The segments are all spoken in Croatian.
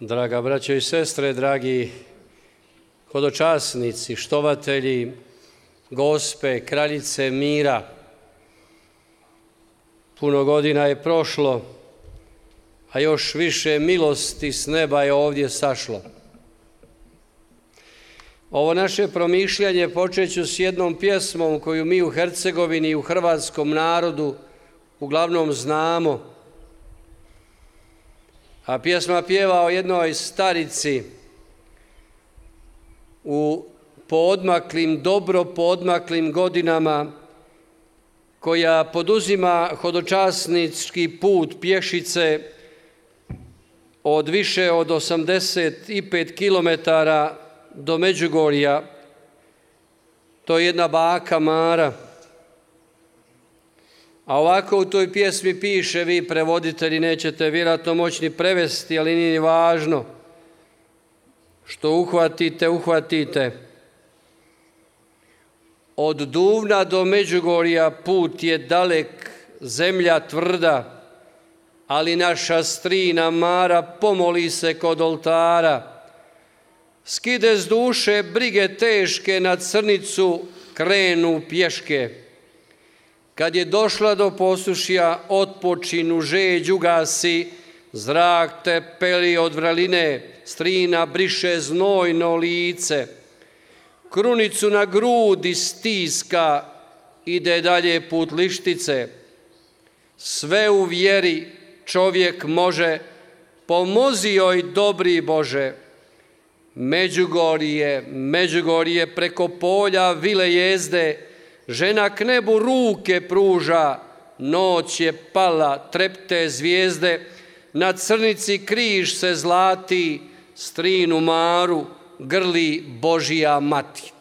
Draga braćo i sestre, dragi hodočasnici, štovatelji Gospe, kraljice mira, puno godina je prošlo, a još više milosti s neba je ovdje sašlo. Ovo naše promišljanje počet ću s jednom pjesmom koju mi u Hercegovini i u hrvatskom narodu uglavnom znamo. A pjesma pjeva o jednoj starici u dobro poodmaklim godinama, koja poduzima hodočasnički put pješice od više od 85 kilometara do Međugorja. To je jedna baka Mara. A ovako u toj pjesmi piše, vi prevoditelji nećete vjerojatno moći ni prevesti, ali nije ni važno. Što uhvatite, uhvatite. Od Duvna do Međugorja put je dalek, zemlja tvrda, ali naša strina Mara pomoli se kod oltara. Skide s duše brige teške, na crnicu krenu pješke. Kad je došla do posušja, otpočinu žeđ ugasi, zrak te peli od vraline, strina briše znojno lice. Krunicu na grudi stiska, ide dalje put lištice. Sve u vjeri čovjek može, pomozi joj dobri Bože. Međugorje preko polja vile jezde, žena k nebu ruke pruža, noć je pala, trepte zvijezde, na crnici križ se zlati, strinu Maru grli Božija mati.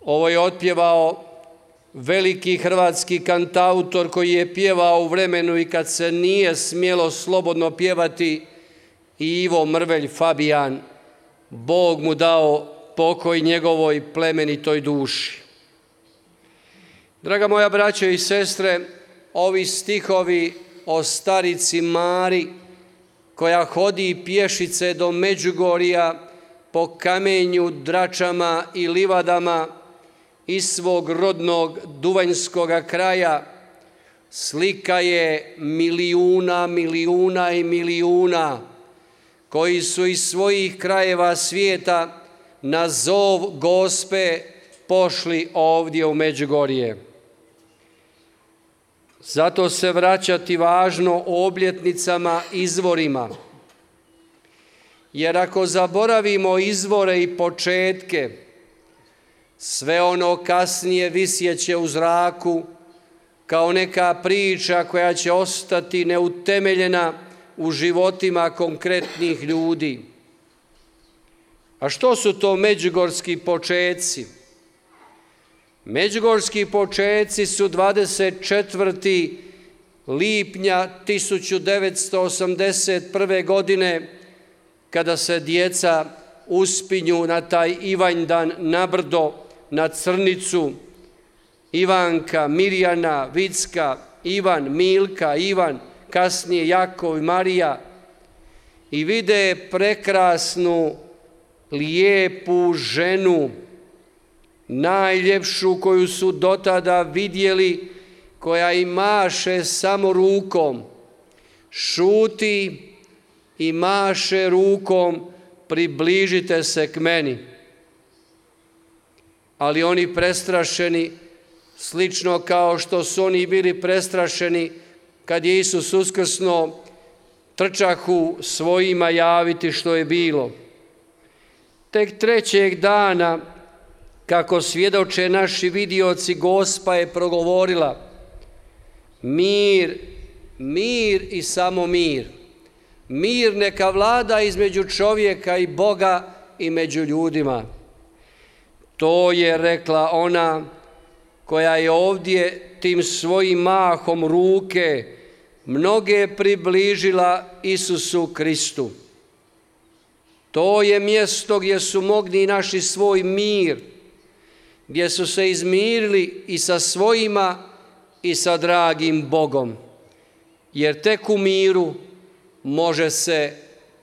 Ovo je otpjevao veliki hrvatski kantautor koji je pjevao u vremenu i kad se nije smjelo slobodno pjevati, Ivo Mrvelj Fabijan. Bog mu dao pokoj njegovoj plemenitoj duši. Draga moja braćo i sestre, ovi stihovi o starici Mari koja hodi pješice do Međugorja po kamenju, dračama i livadama iz svog rodnog duvanjskoga kraja, slika je milijuna i milijuna koji su iz svojih krajeva svijeta na zov Gospe pošli ovdje u Međugorje. Zato se vraćati važno obljetnicama, izvorima. Jer ako zaboravimo izvore i početke, sve ono kasnije visjeće u zraku kao neka priča koja će ostati neutemeljena u životima konkretnih ljudi. A što su to međugorski počeci? Međugorski počeci su 24. lipnja 1981. godine, kada se djeca uspinju na taj Ivanjdan na brdo, na Crnicu. Ivanka, Mirjana, Vicka, Ivan, Milka, Ivan, kasnije Jakov i Marija, i vide prekrasnu, lijepu ženu, najljepšu koju su dotada vidjeli, koja im maše samo rukom. Šuti i maše rukom, približite se k meni. Ali oni prestrašeni, slično kao što su oni bili prestrašeni kad je Isus uskrsnuo, trčahu svojima javiti što je bilo. Tek trećeg dana, kako svjedoče naši vidioci, Gospa je progovorila: mir, mir i samo mir. Mir neka vlada između čovjeka i Boga i među ljudima. To je rekla ona koja je ovdje tim svojim mahom ruke mnoge približila Isusu Kristu. To je mjesto gdje su mogli naši svoj mir, gdje su se izmirili i sa svojima i sa dragim Bogom. Jer tek u miru može se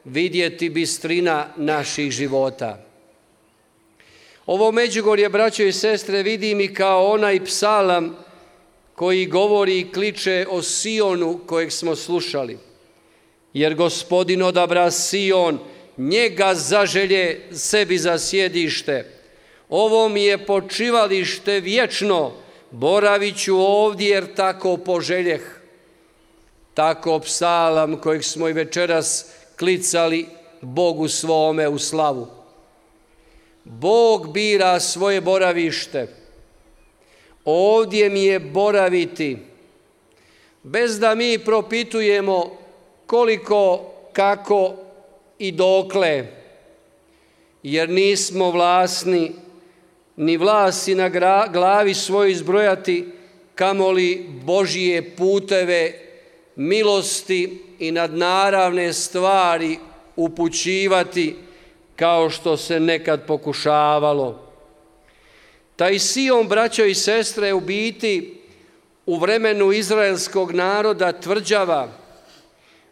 vidjeti bistrina naših života. Ovo Međugorje, braćo i sestre, vidim i kao onaj psalam koji govori i kliče o Sionu kojeg smo slušali. Jer Gospodin odabra Sion, njega zaželje sebi za sjedište. Ovo mi je počivalište vječno, boravit ću ovdje jer tako poželjeh. Tako psalam kojeg smo i večeras klicali Bogu svome u slavu. Bog bira svoje boravište. Ovdje mi je boraviti, bez da mi propitujemo koliko, kako i dokle, jer nismo vlasni ni vlasi na glavi svoj izbrojati, kamoli Božije puteve, milosti i nadnaravne stvari upućivati kao što se nekad pokušavalo. Taj Sion, braćo i sestre, u biti u vremenu izraelskog naroda tvrđava,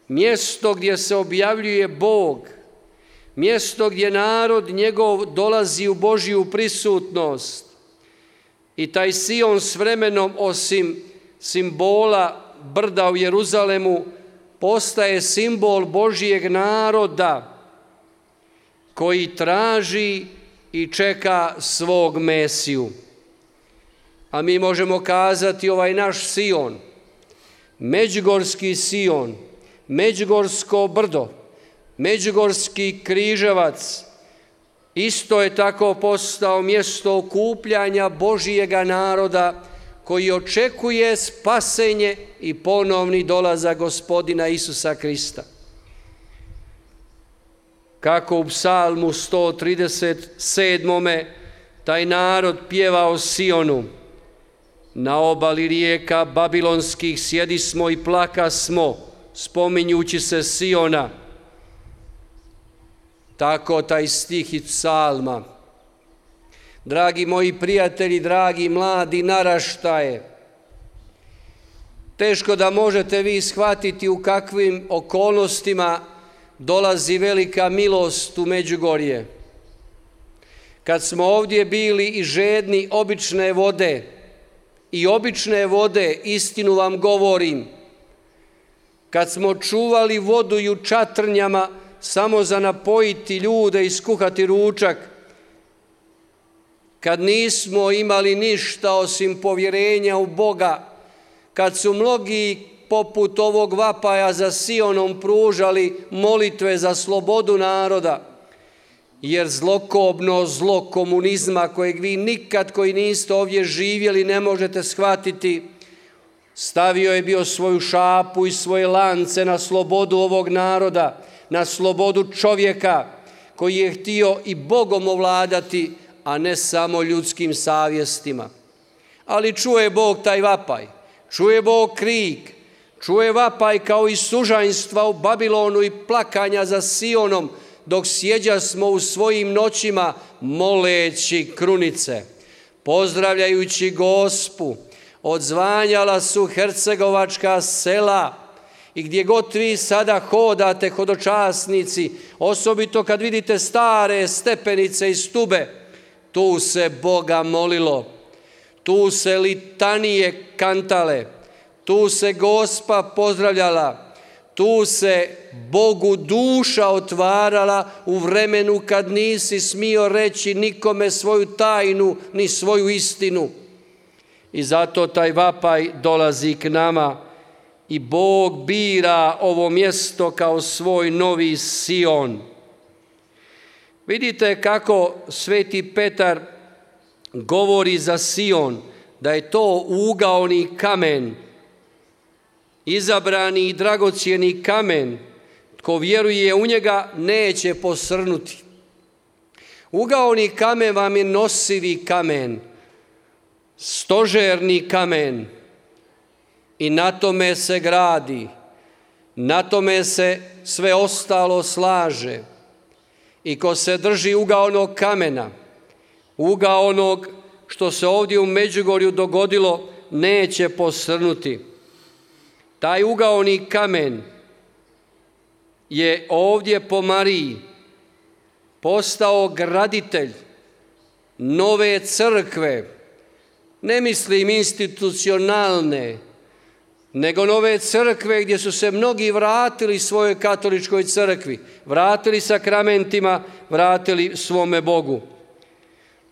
mjesto gdje se objavljuje Bog, mjesto gdje narod njegov dolazi u Božju prisutnost. I taj Sion s vremenom, osim simbola brda u Jeruzalemu, postaje simbol Božjeg naroda koji traži i čeka svog Mesiju. A mi možemo kazati ovaj naš Sion, Međugorski Sion, Međugorsko brdo, Međugorski križevac, isto je tako postao mjesto okupljanja Božijega naroda koji očekuje spasenje i ponovni dolazak Gospodina Isusa Krista. Kako u psalmu 137. taj narod pjeva o Sionu. Na obali rijeka babilonskih sjedismo i plakasmo, spominjući se Siona. Tako taj stih iz psalma. Dragi moji prijatelji, dragi mladi naraštaje, teško da možete vi shvatiti u kakvim okolnostima dolazi velika milost u Međugorje. Kad smo ovdje bili i žedni obične vode, istinu vam govorim, kad smo čuvali vodu i u čatrnjama samo za napojiti ljude i skuhati ručak, kad nismo imali ništa osim povjerenja u Boga, kad su mnogi poput ovog vapaja za Sionom pružali molitve za slobodu naroda, jer zlokobno zlo komunizma kojeg vi nikad koji niste ovdje živjeli ne možete shvatiti, stavio je bio svoju šapu i svoje lance na slobodu ovog naroda, na slobodu čovjeka koji je htio i Bogom ovladati, a ne samo ljudskim savjestima. Ali čuje Bog taj vapaj, čuje Bog krik, čuje vapaj kao i sužanjstva u Babilonu i plakanja za Sionom, dok sjeđasmo u svojim noćima moleći krunice, pozdravljajući Gospu. Odzvanjala su hercegovačka sela i gdje god vi sada hodate, hodočasnici, osobito kad vidite stare stepenice i stube, tu se Boga molilo, tu se litanije kantale, tu se Gospa pozdravljala, tu se Bogu duša otvarala u vremenu kad nisi smio reći nikome svoju tajnu ni svoju istinu. I zato taj vapaj dolazi k nama i Bog bira ovo mjesto kao svoj novi Sion. Vidite kako sveti Petar govori za Sion, da je to ugaoni kamen, izabrani i dragocjeni kamen. Tko vjeruje u njega neće posrnuti. Ugaoni kamen vam je nosivi kamen, stožerni kamen i na tome se gradi, na tome se sve ostalo slaže. I ko se drži ugaonog kamena, ugaonog što se ovdje u Međugorju dogodilo, neće posrnuti. Taj ugaoni kamen je ovdje po Mariji postao graditelj nove crkve, ne mislim institucionalne, nego nove crkve gdje su se mnogi vratili svojoj katoličkoj crkvi, vratili sakramentima, vratili svome Bogu.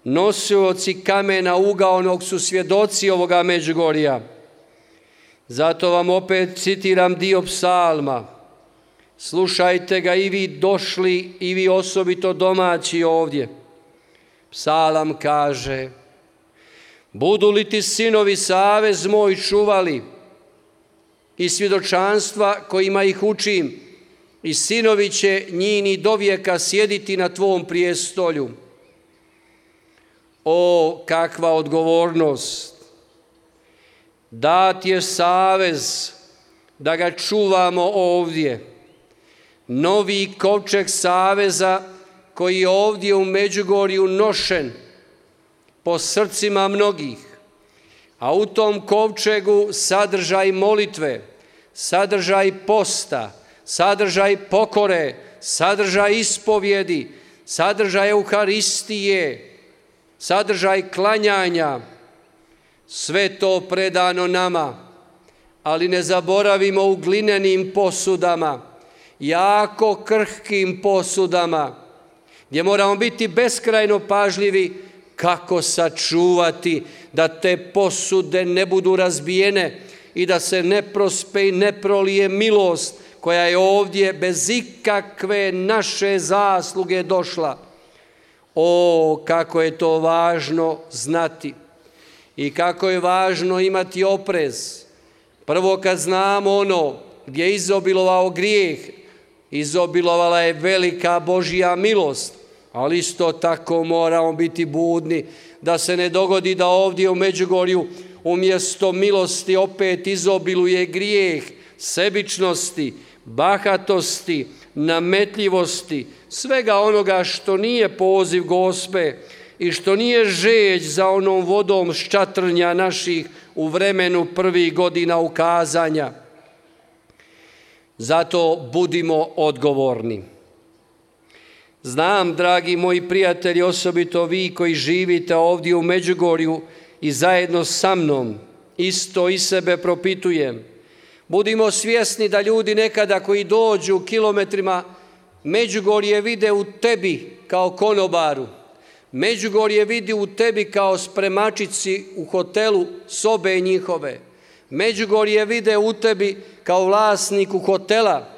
Nosioci kamena ugaonog su svjedoci ovoga Međugorja. Zato vam opet citiram dio psalma. Slušajte ga i vi došli i vi osobito domaći ovdje. Psalam kaže: budu li ti sinovi savez moj čuvali i svjedočanstva kojima ih učim, i sinovi će njini dovijeka sjediti na tvom prijestolju. O, kakva odgovornost! Dat je savez da ga čuvamo ovdje. Novi kovčeg saveza koji je ovdje u Međugorju nošen po srcima mnogih, a u tom kovčegu sadržaj molitve, sadržaj posta, sadržaj pokore, sadržaj ispovjedi, sadržaj Euharistije, sadržaj klanjanja, sve to predano nama, ali ne zaboravimo u glinenim posudama, jako krhkim posudama, gdje moramo biti beskrajno pažljivi kako sačuvati da te posude ne budu razbijene i da se ne prospe i ne prolije milost koja je ovdje bez ikakve naše zasluge došla. O, kako je to važno znati i kako je važno imati oprez. Prvo, kad znamo ono gdje je izobilovao grijeh, izobilovala je velika Božja milost, ali isto tako moramo biti budni da se ne dogodi da ovdje u Međugorju umjesto milosti opet izobiluje grijeh, sebičnosti, bahatosti, nametljivosti, svega onoga što nije poziv Gospe i što nije žeđ za onom vodom ščatrnja naših u vremenu prvih godina ukazanja. Zato budimo odgovorni. Znam, dragi moji prijatelji, osobito vi koji živite ovdje u Međugorju i zajedno sa mnom, isto i sebe propitujem. Budimo svjesni da ljudi nekada koji dođu kilometrima Međugorje vide u tebi kao konobaru. Međugorje vidi u tebi kao spremačici u hotelu sobe njihove. Međugorje vide u tebi kao vlasniku hotela.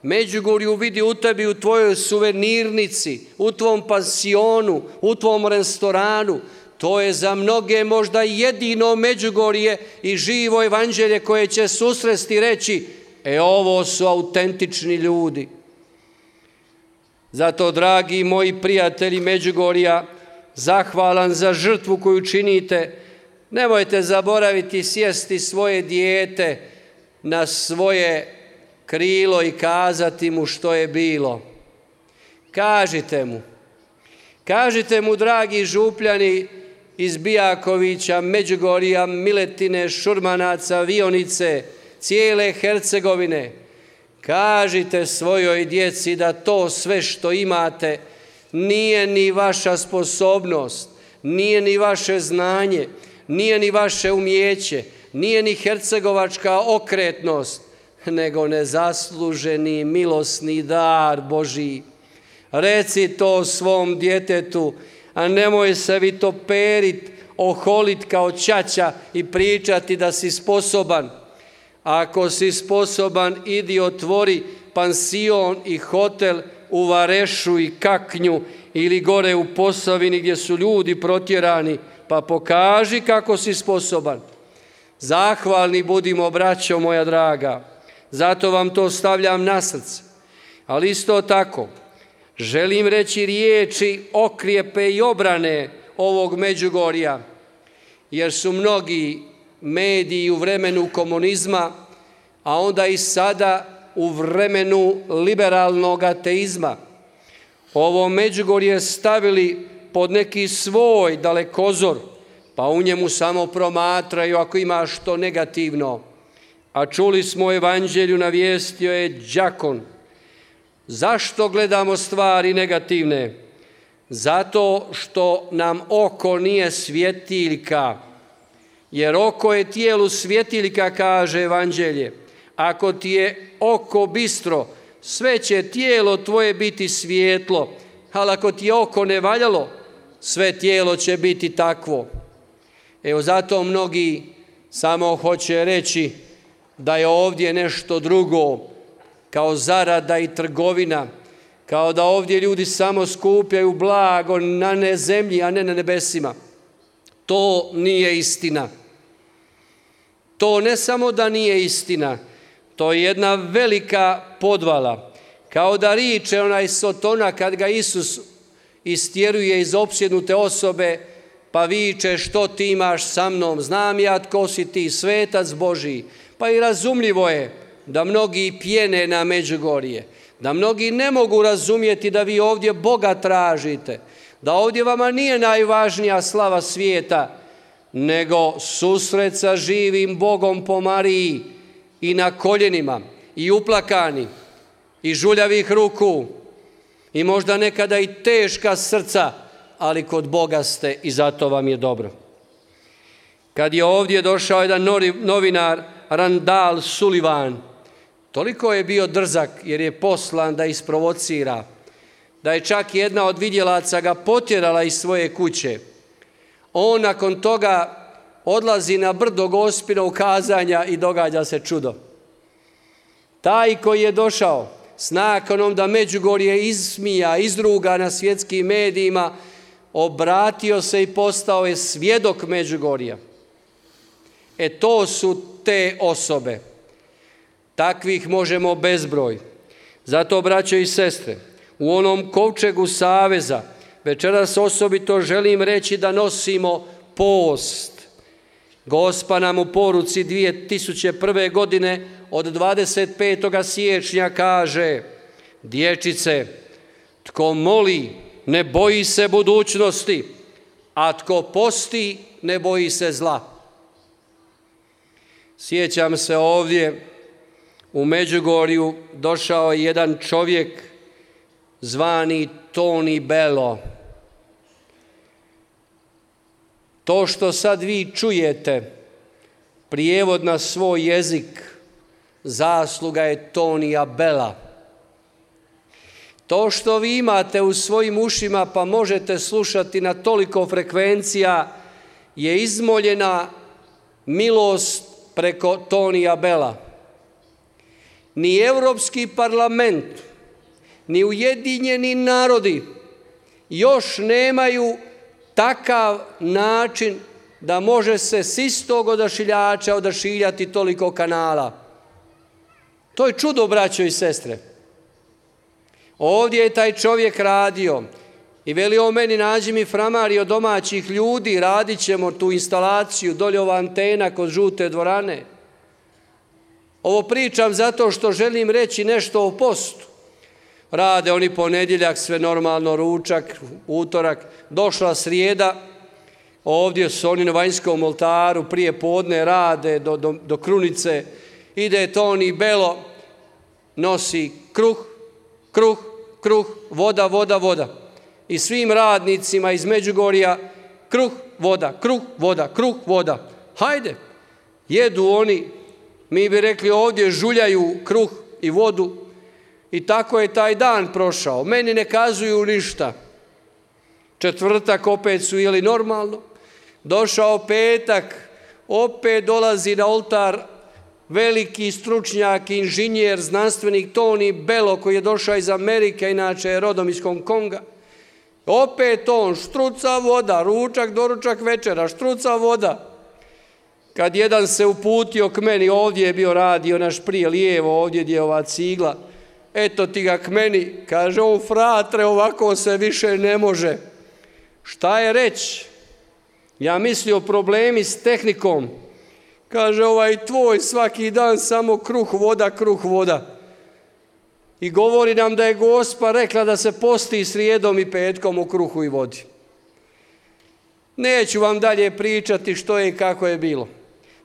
Međugorju vidi u tebi u tvojoj suvenirnici, u tvom pansionu, u tvom restoranu. To je za mnoge možda jedino Međugorje i živo evanđelje koje će susresti i reći: ovo su autentični ljudi. Zato, dragi moji prijatelji Međugorja, zahvalan za žrtvu koju činite, nemojte zaboraviti sjesti svoje dijete na svoje krilo i kazati mu što je bilo. Kažite mu, dragi župljani iz Bijakovića, Međugorja, Miletine, Šurmanaca, Vionice, cijele Hercegovine, kažite svojoj djeci da to sve što imate nije ni vaša sposobnost, nije ni vaše znanje, nije ni vaše umijeće, nije ni hercegovačka okretnost, nego nezasluženi milosni dar Božji. Reci to svom djetetu, a nemoj se vitoperit, oholit kao ćaća i pričati da si sposoban. Ako si sposoban, idi otvori pansion i hotel u Varešu i Kaknju ili gore u Posavini gdje su ljudi protjerani, pa pokaži kako si sposoban. Zahvalni budimo, braćo moja draga, zato vam to stavljam na srce. Ali isto tako želim reći riječi okrijepe i obrane ovog Međugorja, jer su mnogi mediji u vremenu komunizma, a onda i sada u vremenu liberalnog ateizma, ovo Međugorje stavili pod neki svoj dalekozor, pa u njemu samo promatraju ako ima što negativno. A čuli smo u evanđelju, navijestio je đakon: Zašto gledamo stvari negativne? Zato što nam oko nije svjetiljka, jer oko je tijelu svjetiljka, kaže Evanđelje. Ako ti je oko bistro, sve će tijelo tvoje biti svijetlo, ali ako ti je oko nevaljalo, sve tijelo će biti takvo. Evo zato mnogi samo hoće reći da je ovdje nešto drugo, kao zarada i trgovina, kao da ovdje ljudi samo skupljaju blago na zemlji, a ne na nebesima. To nije istina. To ne samo da nije istina, to je jedna velika podvala. Kao da riče onaj Sotona kad ga Isus istjeruje iz opsjednute osobe, pa viče što ti imaš sa mnom, znam ja tko si ti, svetac Božiji. Pa i razumljivo je da mnogi pjene na Međugorje, da mnogi ne mogu razumjeti da vi ovdje Boga tražite, da ovdje vama nije najvažnija slava svijeta, nego susret sa živim Bogom po Mariji i na koljenima, i uplakani, i žuljavih ruku, i možda nekada i teška srca, ali kod Boga ste i zato vam je dobro. Kad je ovdje došao jedan novinar, Randall Sullivan, toliko je bio drzak jer je poslan da isprovocira, da je čak jedna od vidjelaca ga potjerala iz svoje kuće. On nakon toga odlazi na brdo Gospinog kazanja i događa se čudo. Taj koji je došao s nakanom da Međugorje ismija, izruga na svjetskim medijima, obratio se i postao je svjedok Međugorja. To su te osobe. Takvih možemo bezbroj. Zato, braćo i sestre, u onom kovčegu saveza večeras osobito želim reći da nosimo post. Gospa nam u poruci 2001. godine od 25. siječnja kaže: dječice, tko moli ne boji se budućnosti, a tko posti ne boji se zla. Sjećam se ovdje u Međugorju došao je jedan čovjek zvani Toni Bello. To što sad vi čujete, prijevod na svoj jezik, zasluga je Tonija Bella. To što vi imate u svojim ušima pa možete slušati na toliko frekvencija je izmoljena milost preko Tonija Bella. Ni Europski parlament, ni Ujedinjeni narodi još nemaju takav način da može se s istog odašiljača odašiljati toliko kanala. To je čudo, braćo i sestre. Ovdje je taj čovjek radio i velio meni: nađi mi framari od domaćih ljudi, radit ćemo tu instalaciju, dolje ova antena kod žute dvorane. Ovo pričam zato što želim reći nešto o postu. Rade oni ponedjeljak, sve normalno, ručak, utorak, došla srijeda, ovdje su oni na vanjskom oltaru, prije podne rade do krunice, ide Toni Bello, nosi kruh, voda. I svim radnicima iz Međugorja kruh, voda. Hajde, jedu oni, mi bi rekli ovdje žuljaju kruh i vodu. I tako je taj dan prošao. Meni ne kazuju ništa. Četvrtak opet su jeli normalno. Došao petak, opet dolazi na oltar veliki stručnjak, inženjer, znanstvenik Toni Bello, koji je došao iz Amerike, inače je rodom iz Hong Konga. Opet on, štruca voda, ručak, doručak, večera, štruca voda. Kad jedan se uputio k meni, ovdje je bio radio naš prije lijevo, ovdje gdje je ova cigla, eto ti ga k meni, kaže on: fratre, ovako se više ne može. Šta je reći? Ja mislio problemi s tehnikom. Kaže: ovaj tvoj svaki dan samo kruh, voda. I govori nam da je Gospa rekla da se posti srijedom i petkom u kruhu i vodi. Neću vam dalje pričati što je i kako je bilo.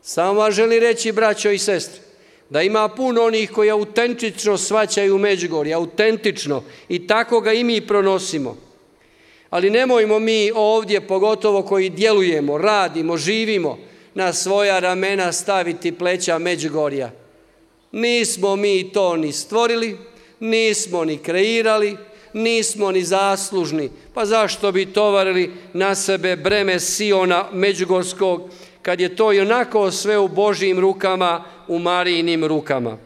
Samo vam želim reći, braćo i sestre, da ima puno onih koji autentično shvaćaju Međugorje, autentično, i tako ga i mi pronosimo. Ali nemojmo mi ovdje, pogotovo koji djelujemo, radimo, živimo, na svoja ramena staviti pleća Međugorja. Nismo mi to ni stvorili, nismo ni kreirali, nismo ni zaslužni. Pa zašto bi tovarili na sebe breme Siona Međugorskog, kad je to i onako sve u Božjim rukama, u Marijinim rukama?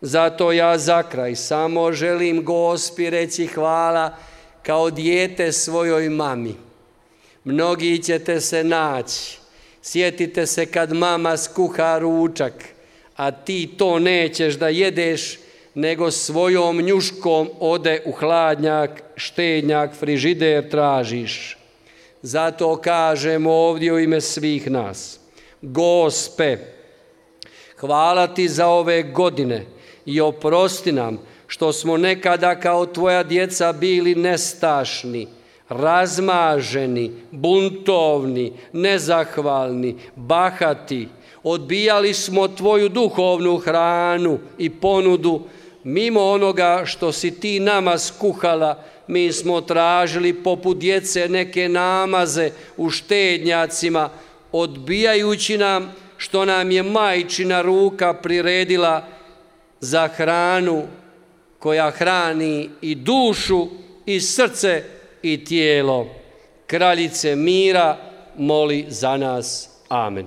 Zato ja za kraj samo želim Gospi reći hvala kao dijete svojoj mami. Mnogi ćete se naći. Sjetite se kad mama skuha ručak, a ti to nećeš da jedeš, nego svojom njuškom ode u hladnjak, štednjak, frižider tražiš. Zato kažemo ovdje u ime svih nas: Gospe, hvala ti za ove godine i oprosti nam što smo nekada kao tvoja djeca bili nestašni, razmaženi, buntovni, nezahvalni, bahati. Odbijali smo tvoju duhovnu hranu i ponudu. Mimo onoga što si ti nama skuhala, mi smo tražili poput djece neke namaze u štednjacima, odbijajući nam što nam je majčina ruka priredila za hranu koja hrani i dušu i srce i tijelo. Kraljice mira, moli za nas. Amen.